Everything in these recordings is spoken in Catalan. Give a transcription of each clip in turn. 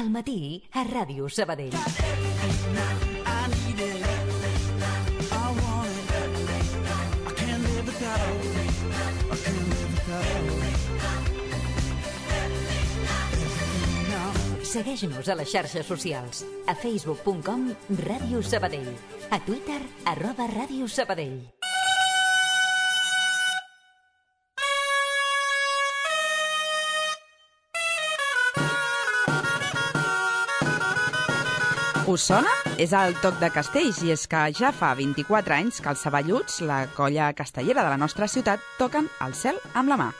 Al matí a Ràdio Sabadell. Segueix-nos a les xarxes socials. A facebook.com Ràdio Sabadell. A Twitter @Ràdio Sabadell. Us sona? És el Toc de Castells, i és que ja fa 24 anys que els Saballuts, la colla castellera de la nostra ciutat, toquen el cel amb la mà.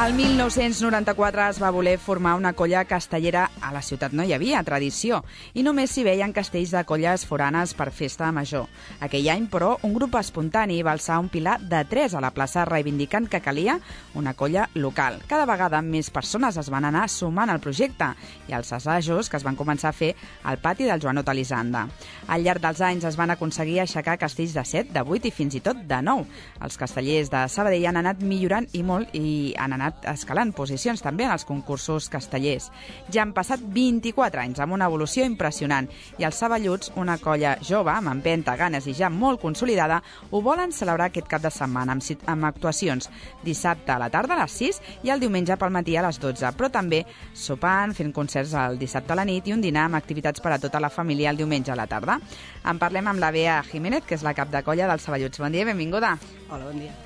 El 1994 es va voler formar una colla castellera. A la ciutat no hi havia tradició i només s'hi veien castells de colles foranes per festa major. Aquell any, però, un grup espontani va alçar un pilar de 3 a la plaça reivindicant que calia una colla local. Cada vegada més persones es van anar sumant al projecte i als assajos que es van començar a fer al pati del Joanot Elisanda. Al llarg dels anys es van aconseguir aixecar castells de 7, de 8 i fins i tot de 9. Els castellers de Sabadell han anat millorant i molt i han anat escalant posicions també en els concursos castellers. Ja han passat 24 anys amb una evolució impressionant i els Saballuts, una colla jove amb empenta, ganes i ja molt consolidada, ho volen celebrar aquest cap de setmana amb actuacions dissabte a la tarda a les 6 i el diumenge pel matí a les 12, però també sopant, fent concerts el dissabte a la nit i un dinar amb activitats per a tota la família el diumenge a la tarda. En parlem amb la Bea Jiménez, que és la cap de colla dels Saballuts. Bon dia i benvinguda. Hola, bon dia.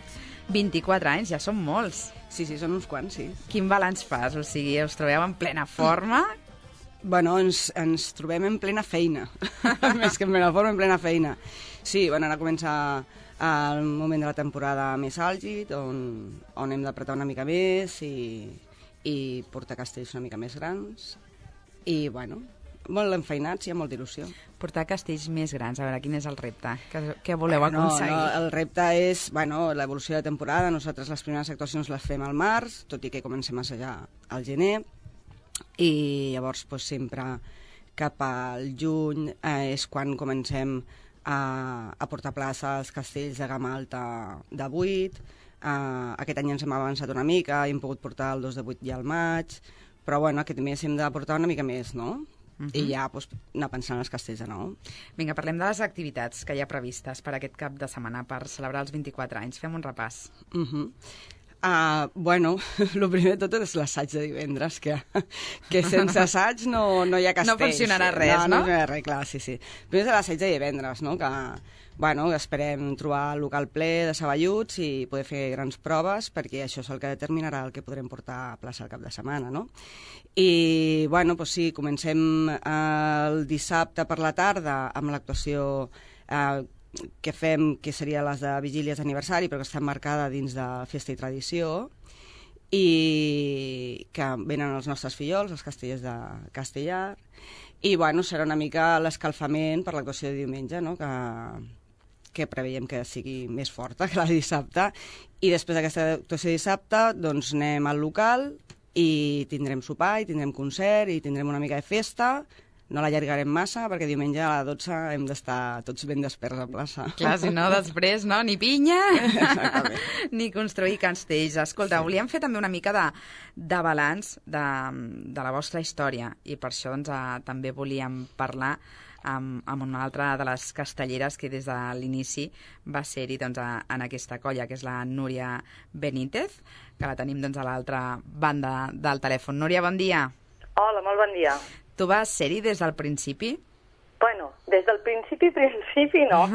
24 anys, ja són molts. Sí, són uns quants, sí. Quin balanç fas? O sigui, us trobeu en plena forma? Bueno, ens trobem en plena feina. Més que en plena forma, en plena feina. Sí, bueno, ara comença el moment de la temporada més àlgid, on hem d'apretar una mica més i portar castells una mica més grans. I, bueno, molt enfeinats i amb molta il·lusió. Portar castells més grans, a veure, quin és el repte? Què voleu aconseguir? No, el repte és, l'evolució de temporada. Nosaltres les primeres actuacions les fem al març, tot i que comencem a assajar al gener, i llavors sempre cap al juny és quan comencem a portar plaça als castells de gamma alta de 8. Aquest any ens hem avançat una mica, hem pogut portar el 2 de 8 ja al maig, però aquest mes hem de portar una mica més, no? I ja anar pensant en els castells de nou. Vinga, parlem de les activitats que hi ha previstes per aquest cap de setmana per celebrar els 24 anys. Fem un repàs. El primer de tot és l'assaig de divendres, que sense assaig no hi ha castells. No funcionarà res, no? No funcionarà res, clar, sí. Primer és l'assaig de divendres, no? Que esperem trobar el local ple de Saballuts i poder fer grans proves, perquè això és el que determinarà el que podrem portar a plaça el cap de setmana, no? I, sí, comencem el dissabte per la tarda amb l'actuació que fem, que seria les de vigílies d'aniversari, però que està marcada dins de Festa i Tradició, i que venen els nostres fillols, els castellers de Castellar, i serà una mica l'escalfament per l'actuació de diumenge, no? Que preveiem que sigui més forta que la de dissabte, i després d'aquesta actuació de dissabte doncs anem al local i tindrem sopar, i tindrem concert, i tindrem una mica de festa. No l'allargarem massa, perquè diumenge a les 12 hem d'estar tots ben desperts a plaça. Clar, si no, després, no? Ni pinya, ni construir castells. Escolta, volíem fer també una mica de balanç de la vostra història, i per això també volíem parlar amb una altra de les castelleres que des de l'inici va ser-hi en aquesta colla, que és la Núria Benítez, que la tenim a l'altra banda del telèfon. Núria, bon dia. Hola, molt bon dia. Tu vas ser-hi des del principi? Bueno, des del principi no.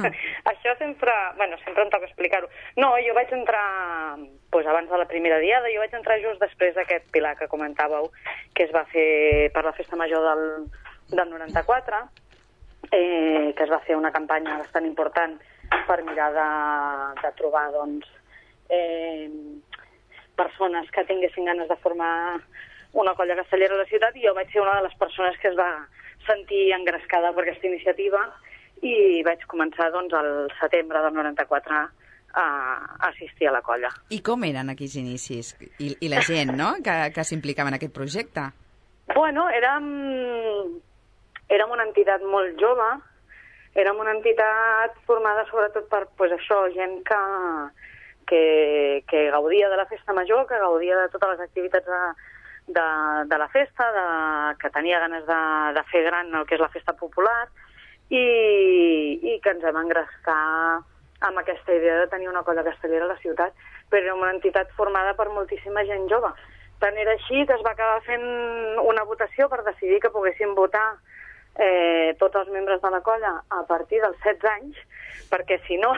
Això sempre em toca explicar-ho. No, jo vaig entrar, abans de la primera diada, jo vaig entrar just després d'aquest pilar que comentàveu, que es va fer per la festa major del 94, que es va fer una campanya bastant important per mirar de trobar, persones que tinguessin ganes de formar una colla castellera a la ciutat, i jo vaig ser una de les persones que es va sentir engrescada per aquesta iniciativa, i vaig començar al setembre del 94 a assistir a la colla. I com eren aquells inicis? I la gent, no?, que s'implicava en aquest projecte? Bueno, érem una entitat molt jove, érem una entitat formada sobretot per això, gent que gaudia de la festa major, que gaudia de totes les activitats de la festa, que tenia ganes de fer gran el que és la festa popular, i que ens vam engrescar amb aquesta idea de tenir una colla castellera a la ciutat, però era una entitat formada per moltíssima gent jove. Tant era així que es va acabar fent una votació per decidir que poguessin votar tots els membres de la colla a partir dels 16 anys, perquè si no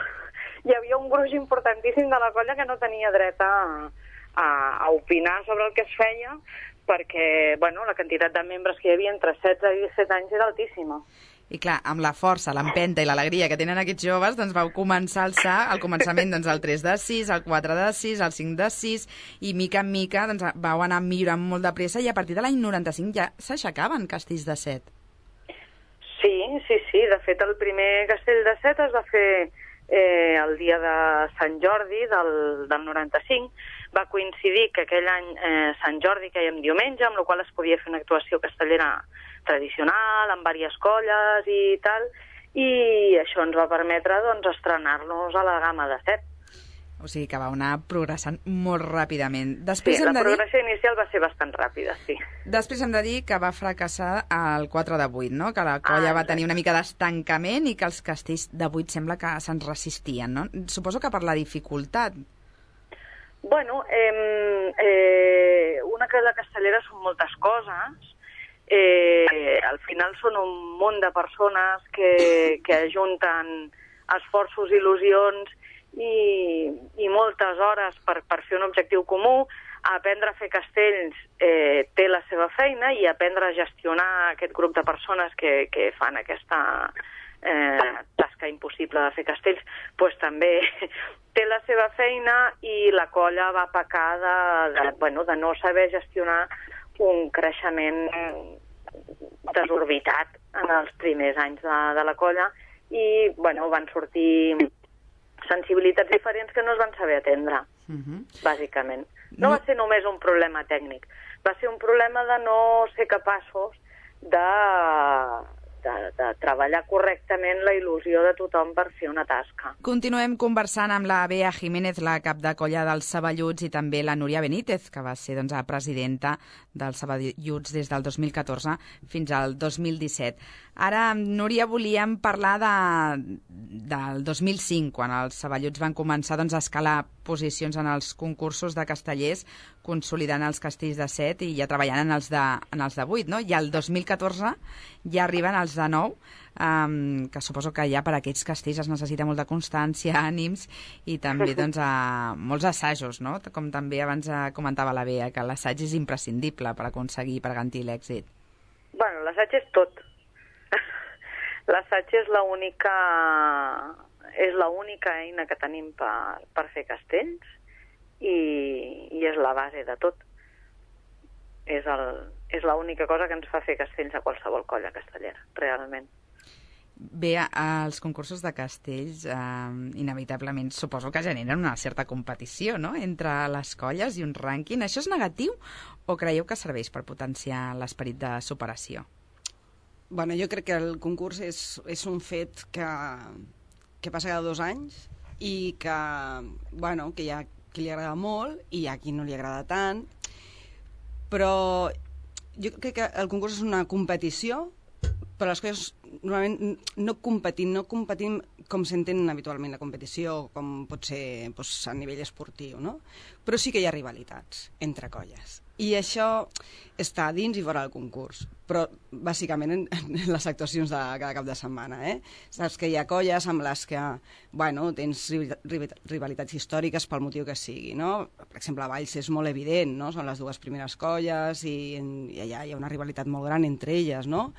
hi havia un gruix importantíssim de la colla que no tenia dret a opinar sobre el que es feia, perquè la quantitat de membres que hi havia entre 16 i 17 anys era altíssima. I clar, amb la força, l'empenta i l'alegria que tenen aquests joves, doncs vau començar a alçar al començament el 3 de 6, el 4 de 6, el 5 de 6, i mica en mica vau anar millorant molt de pressa, i a partir de l'any 95 ja s'aixecaven castells de 7. Sí. De fet, el primer castell de 7 es va fer el dia de Sant Jordi del 95. Va coincidir que aquell any Sant Jordi caia en diumenge, amb la qual es podia fer una actuació castellera tradicional, amb diverses colles i tal, i això ens va permetre estrenar-nos a la gamma de 7. O sigui que va anar progressant molt ràpidament. La progressió inicial va ser bastant ràpida, sí. Després hem de dir que va fracassar el 4 de 8, no? Que la colla va tenir una mica d'estancament i que els castells de 8 sembla que se'ns resistien, no? Suposo que per la dificultat. Una colla castellera són moltes coses. Al final són un munt de persones que ajunten esforços, il·lusions i moltes hores per fer un objectiu comú. Aprendre a fer castells té la seva feina, i aprendre a gestionar aquest grup de persones que fan aquesta tasca impossible de fer castells també té la seva feina, i la colla va pecar de no saber gestionar un creixement desorbitat en els primers anys de la colla, i van sortir sensibilitats diferents que no es van saber atendre, bàsicament. No va ser només un problema tècnic, va ser un problema de no ser capaços de treballar correctament la il·lusió de tothom per fer una tasca. Continuem conversant amb la Bea Jiménez, la cap de colla dels Saballuts, i també la Núria Benítez, que va ser presidenta dels Saballuts des del 2014 fins al 2017. Ara, Núria, volíem parlar del 2005, quan els Saballuts van començar a escalar posicions en els concursos de castellers, consolidant els castells de 7 i ja treballant en els de 8, no? I al 2014 ja arriben els de 9, que suposo que ja per a aquests castells es necessita molta constància, ànims i també molts assajos, no? Com també abans comentava la Bea, que l'assaig és imprescindible per aconseguir, per garantir l'èxit. L'assaig és tot. L'assaig és l'única eina que tenim per fer castells, i és la base de tot. És l'única cosa que ens fa fer castells a qualsevol colla castellera, realment. Bé, els concursos de castells inevitablement suposo que generen una certa competició, no?, entre les colles i un rànquing. Això és negatiu o creieu que serveix per potenciar l'esperit de superació? Jo crec que el concurs és un fet que passa cada 2 anys i que hi ha qui li agrada molt i hi ha qui no li agrada tant, però jo crec que el concurs és una competició, però les coses normalment no competim com s'entén habitualment la competició, com pot ser a nivell esportiu, no? Però sí que hi ha rivalitats entre colles. I això està dins i fora del concurs, però bàsicament en les actuacions de cada cap de setmana. Saps que hi ha colles amb les que tens rivalitats històriques pel motiu que sigui, no? Per exemple, a Valls és molt evident, no? Són les 2 primeres colles i allà hi ha una rivalitat molt gran entre elles, no?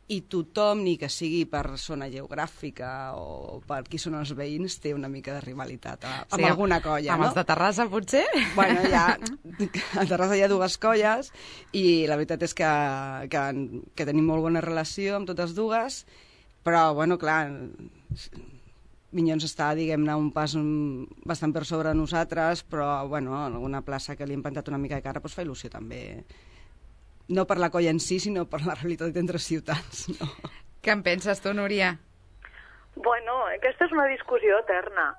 I tothom, ni que sigui per zona geogràfica o per qui són els veïns, té una mica de rivalitat amb alguna colla, amb no? Els de Terrassa, potser? A Terrassa hi ha 2 colles i la veritat és que tenim molt bona relació amb totes 2, però, clar, Minyons està, diguem-ne, un pas bastant per sobre nosaltres, però, en alguna plaça que li hem plantat una mica de cara, fa il·lusió també. No per la colla en si, sinó per la realitat entre ciutats, no? Què en penses tu, Núria? Bueno, aquesta és una discussió eterna.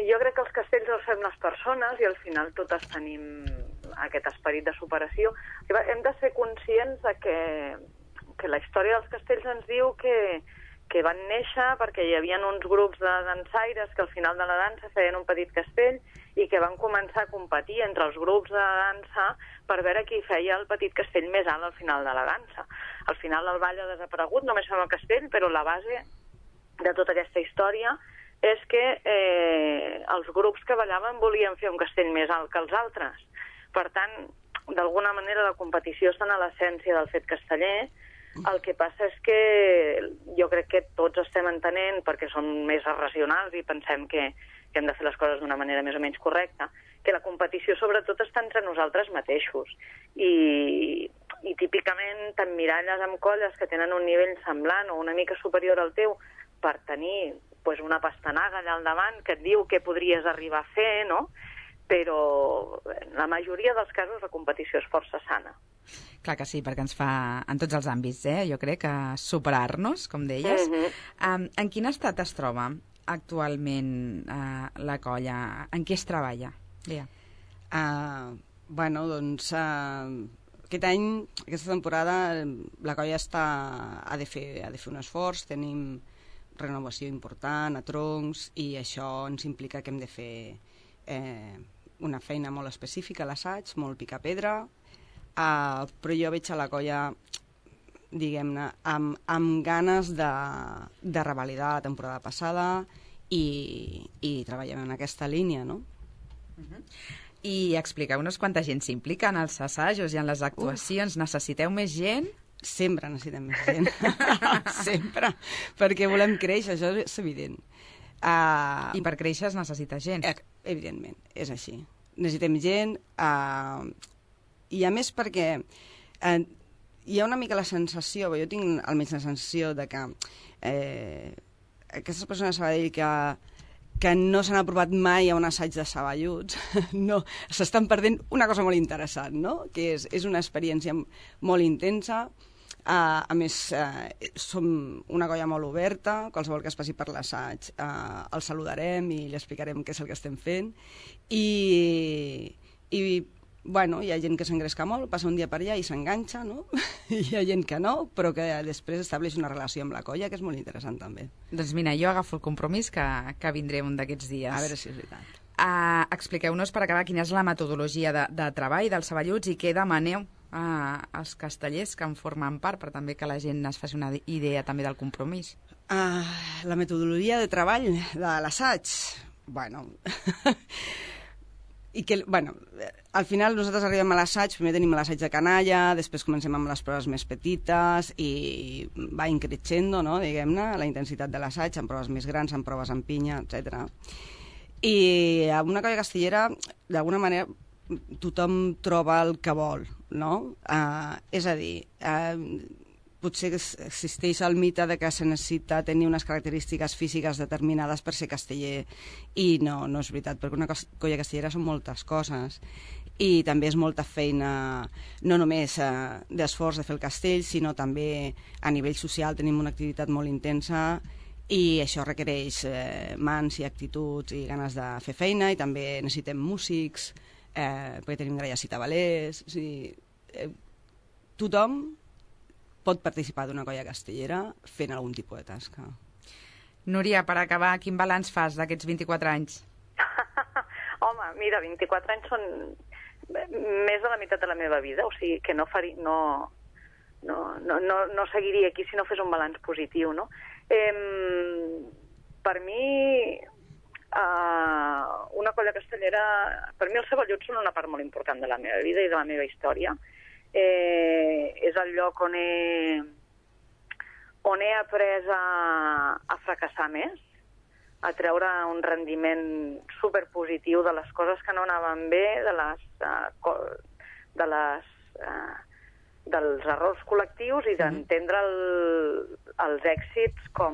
Jo crec que els castells els fem les persones i al final totes tenim aquest esperit de superació. Hem de ser conscients de que la història dels castells ens diu que van néixer perquè hi havia uns grups de dansaires que al final de la dansa feien un petit castell i que van començar a competir entre els grups de dansa per veure qui feia el petit castell més alt al final de la dansa. Al final el ball ha desaparegut, només fem el castell, però la base de tota aquesta història és que els grups que ballaven volien fer un castell més alt que els altres. Per tant, d'alguna manera la competició està a l'essència del fet casteller. El que passa és que jo crec que tots estem entenent, perquè som més racionals i pensem que hem de fer les coses d'una manera més o menys correcta, que la competició sobretot està entre nosaltres mateixos. I típicament t'emmiralles amb colles que tenen un nivell semblant o una mica superior al teu per tenir una pastanaga allà al davant que et diu què podries arribar a fer, no? Però en la majoria dels casos la competició és força sana. Clar que sí, perquè ens fa, en tots els àmbits, jo crec, superar-nos, com deies. En quin estat es troba actualment la colla? En què es treballa? Bueno, doncs, aquesta temporada, la colla ha de fer un esforç, tenim renovació important a troncs i això ens implica que hem de fer una feina molt específica a l'assaig, molt picar pedra, però jo veig a la colla, diguem-ne, amb ganes de revalidar la temporada passada i treballem en aquesta línia, no? I expliqueu-nos quanta gent s'implica en els assajos i en les actuacions. Necessiteu més gent? Sempre necessitem més gent. Sempre. Perquè volem créixer, això és evident. I per créixer es necessita gent. Evidentment, és així. Necessitem gent, i a més perquè hi ha una mica la sensació, jo tinc almenys la sensació de que aquestes persones a Sabadell que no s'han aprovat mai a un assaig de Saballuts, no, s'estan perdent una cosa molt interessant, no? Que és una experiència molt intensa. A més, som una colla molt oberta, qualsevol que es passi per l'assaig el saludarem i li explicarem què és el que estem fent. Bueno, hi ha gent que s'engresca molt, passa un dia per allà i s'enganxa, no? Hi ha gent que no, però que després estableix una relació amb la colla, que és molt interessant també. Doncs mira, jo agafo el compromís que vindré un d'aquests dies. A veure si és veritat. Expliqueu-nos per acabar quina és la metodologia de treball dels Saballuts i què demaneu als castellers que en formen part, per també que la gent es faci una idea també del compromís. La metodologia de treball de l'assaig, bueno... al final nosaltres arribem a l'assaig, primer tenim l'assaig de canalla, després comencem amb les proves més petites i va increixendo, no, diguem-ne, la intensitat de l'assaig, amb proves més grans, amb proves amb pinya, etc. I amb una colla castellera, d'alguna manera, tothom troba el que vol, no? És a dir, potser existeix el mite de que se necessita tenir unes característiques físiques determinades per ser casteller i no és veritat, perquè una colla castellera són moltes coses i també és molta feina, no només d'esforç de fer el castell, sinó també a nivell social tenim una activitat molt intensa i això requereix mans i actituds i ganes de fer feina i també necessitem músics, perquè tenim gralles i tabalers, o sigui, tothom pot participar d'una colla castellera fent algun tipus de tasca. Núria, per acabar, quin balanç fas d'aquests 24 anys? Home, mira, 24 anys són més de la meitat de la meva vida, o sigui que no seguiria aquí si no fes un balanç positiu, no? Per mi, una colla castellera... Per mi els Saballuts són una part molt important de la meva vida i de la meva història. És el lloc on he après a fracassar més, a treure un rendiment superpositiu de les coses que no anaven bé, dels errors col·lectius i d'entendre els èxits com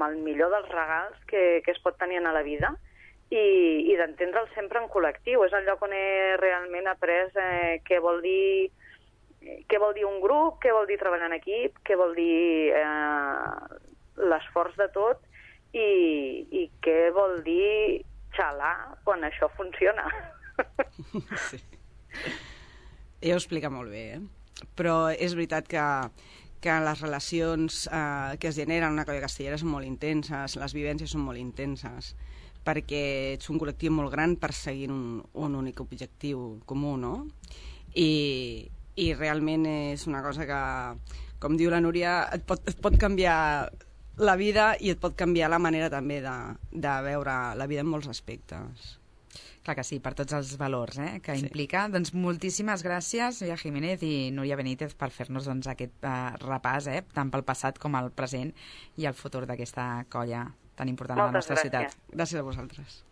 el millor dels regals que es pot tenir a la vida i d'entendre'l sempre en col·lectiu. És el lloc on he realment après què vol dir què vol dir un grup, què vol dir treballar en equip, què vol dir l'esforç de tot i què vol dir xalar quan això funciona. Sí. Ella ho explica molt bé, però és veritat que les relacions que es generen en una colla castellera són molt intenses, les vivències són molt intenses, perquè ets un col·lectiu molt gran perseguint un únic objectiu comú, no? I realment és una cosa que, com diu la Núria, et pot canviar la vida i et pot canviar la manera també de veure la vida en molts aspectes. Clar que sí, per tots els valors que implica. Doncs moltíssimes gràcies, Núria Jiménez i Núria Benítez, per fer-nos aquest repàs, tant pel passat com el present i el futur d'aquesta colla tan important a la nostra ciutat. Gràcies a vosaltres.